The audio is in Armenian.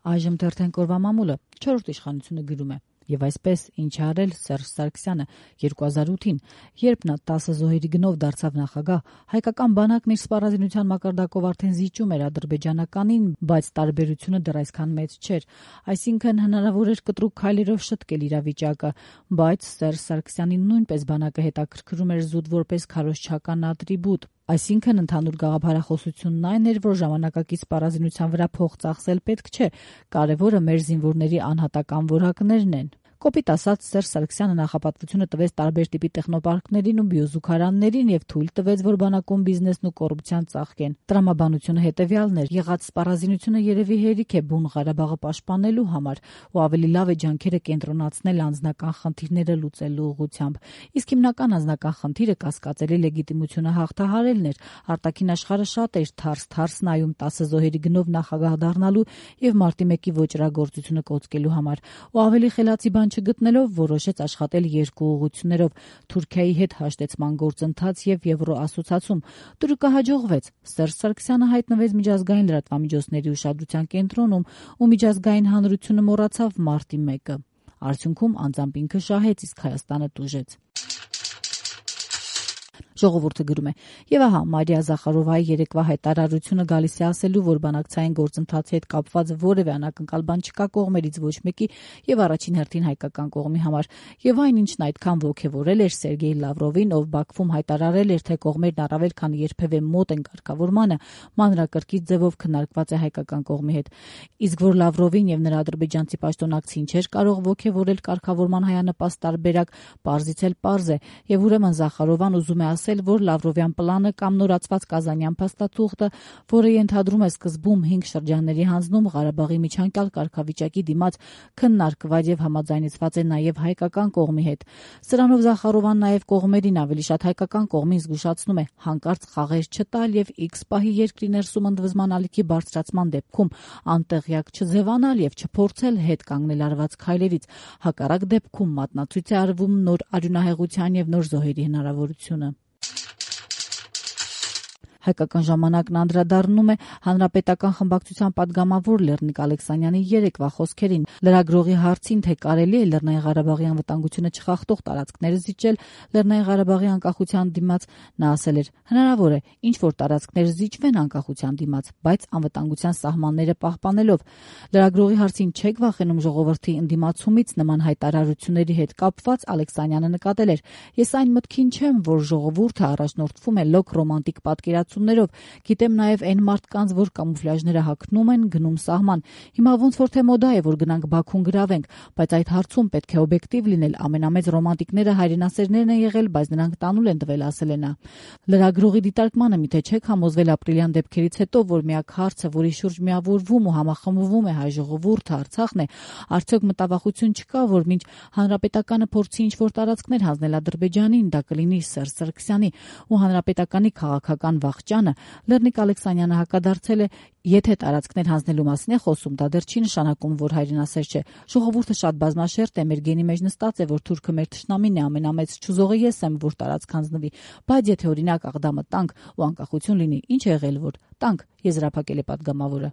Այժմ թերթենք օրվա մամուլը 4-րդ իշխանությունը գրում է. Եվ այսպես ինչ արել Սերժ Սարգսյանը 2008-ին, երբ նա 10 զոհերի գնով դարձավ նախագահ, հայկական բանակն իր սպառազինության մակարդակով արդեն զիջում էր ադրբեջանականին, բայց տարբերությունը դեռ այսքան մեծ չէր, այսինքն հնարավոր էր կտրուկ քայլերով շտկել իրավիճակը, բայց Սերժ Սարգսյանին նույնպես բանակը հետաքրքրում էր զուտ որպես քարոզչական ատրիբուտ, այսինքն ընդհանուր գաղափարախոսությունն այն էր, որ ժամանակակից սպառազինության վրա փող ծախսել պետք չէ, կարևորը մեր զինվորների անհատական որակներն են։ Կոպիտ ասած, Սերժ Սարգսյանը նախապատվությունը տվեց տարբեր տիպի տեխնոպարկներին ու բիոզուգարաններին եւ թույլ տվեց, որ բանակում բիզնեսն ու կոռուպցիան ծաղկեն։ Տրամաբանությունը հետեւյալն էր՝ եղած սպառազինությունը երևի հերիք է բուն Ղարաբաղը պաշտպանելու համար ու ավելի լավ է ջանքերը կենտրոնացնել անձնական խնդիրները լուծելու ուղղությամբ։ Իսկ հիմնական անձնական խնդիրը կասկածելի լեգիտիմությունը հաղթահարելն էր։ Արտաքին աշխարհը շատ էր թարս նայում 10 զոհերի գնով նախագահ դառնալու եւ մարտի 1-ի ոճրագործությունը կոծկելու համար։ Ու ավելի խելացի բան չգտնելով որոշեց աշխատել երկու ուղղություններով՝ Թուրքիայի հետ հաշտեցման գործընթաց եւ Եվրոասոցիացում։ Դուրը կհաջողվեց։ Սերժ Սարգսյանը հայտնվեց միջազգային լրատվամիջոցների ուշադրության կենտրոնում ու միջազգային հանրությունը մոռացավ մարտի 1-ը։ Արդյունքում անձամբ ինքը շահեց, իսկ Հայաստանը տուժեց։ Ժողովուրդը գրում է. Եվ ահա Մարիա Զախարովայի երեկվա հայտարարությունը գալիս է ասելու, որ բանակցային գործընթացի հետ կապված որևէ անակնկալ բան չկա կողմերից ոչ մեկի եւ առաջին հերթին հայկական կողմի համար։ Եվ այն, ինչն այդքան ոգևորել էր Սերգեյ Լավրովին, ով Բաքվում հայտարարել էր, թե կողմերն առավել քան երբևէ մոտ են կարգավորմանը, մանրակրկիտ ձևով քննարկված է հայկական կողմի հետ։ Իսկ որ Լավրովին եւ նրա ադրբեջանցի պաշտոնակցին չէր կարող ոգևորել կարգավորման հայանպաստ տարբերակ, պարզից էլ պարզ է, եւ ուրեմն Զախարովան ուզում է ասել, որ Լավրովյան պլանը կամ նորացված Կազանյան փաստաթուղթը, որը ենթադրում է սկզբում 5 շրջանների հանձնում Ղարաբաղի միջանկյալ կարգավիճակի դիմաց, քննարկված եւ համաձայնեցված է նաեւ հայկական կողմի հետ։ Սրանով Զախարովան նաեւ կողմերին, ավելի շատ հայկական կողմին զգուշացնում է հանկարծ խաղեր չտալ եւ X պահի երկրի ներսում ընդվզման ալիքի բարձրացման դեպքում անտեղյակ չձևանալ եւ չփորձել հետ կանգնել արված քայլերից։ Հակառակ դեպքում մատնացույց է արվում նոր արյունահեղության եւ նոր զոհերի հնարավորությունը։ Հայկական ժամանակն անդրադառնում է հանրապետական խմբակցության падգամավոր Լեռնիկ Ալեքսանյանի երեկվա խոսքերին։ Լրագրողի հարցին, թե կարելի է Լեռնային Ղարաբաղի անվտանգությունը չխախտող տարածքներ զիջել Լեռնային Ղարաբաղի անկախության դիմաց, նա ասել էր. հնարավոր է ինչ որ տարածքներ զիջվեն անկախության դիմաց, բայց անվտանգության սահմանները պահպանելով։ Լրագրողի հարցին չեք վախենում ժողովրդի ընդդիմացումից նման հայտարարությունների հետ կապված, Ալեքսանյանը նկատել էր. ես այն մտքին չեմ, որ ժողովուրդը առաջնորդվում է լոկ ռոմանտիկ պատկերացումներով, գիտեմ նաև այն մարդկանց, որ կամուֆլյաժները հագնում են, գնում սահման։ Հիմա ոնց որ թե մոդա է, որ գնանք Բաքուն գրավենք, բայց այդ հարցում պետք է օբյեկտիվ լինել, ամենամեծ ռոմանտիկները հայրենասերներն են եղել, բայց նրանք տանուլ են տվել, ասել է նա։ Լրագրողի դիտարկմանը միթե չեք համոզվել ապրիլյան դեպքերից հետո, որ միակ հարցը, որի շուրջ միավորվում ու համախմբվում է հայ ժողովուրդը, Արցախն է, արդյոք մտավախություն չկա, որ մինչ հանրապետականը փորձի ինչ-որ տարածքներ հանձնել Ադրբեջանին, դա կլինի Սերժ Սարգսյանի ու հանրապետականի քաղաքական վախճանը։ Լեռնիկ Ալեքսանյանը հակադարձել է. եթե տարածքներ հանձնելու մասին է խոսում, դա դեռ չի նշանակում, որ հայրենասեր չէ։ Ժողովուրդը շատ բազմաշերտ է, մեր գենի մեջ նստած է, որ թուրքը մեր թշնամին է, ամենամեծ չուզողը ես եմ, որ տարածք հանձնվի, բայց եթե օրինակ Աղդամը տանք ու անկախություն լինի, ինչ է եղել, որ տանք, եզրափակել է падգամավորը։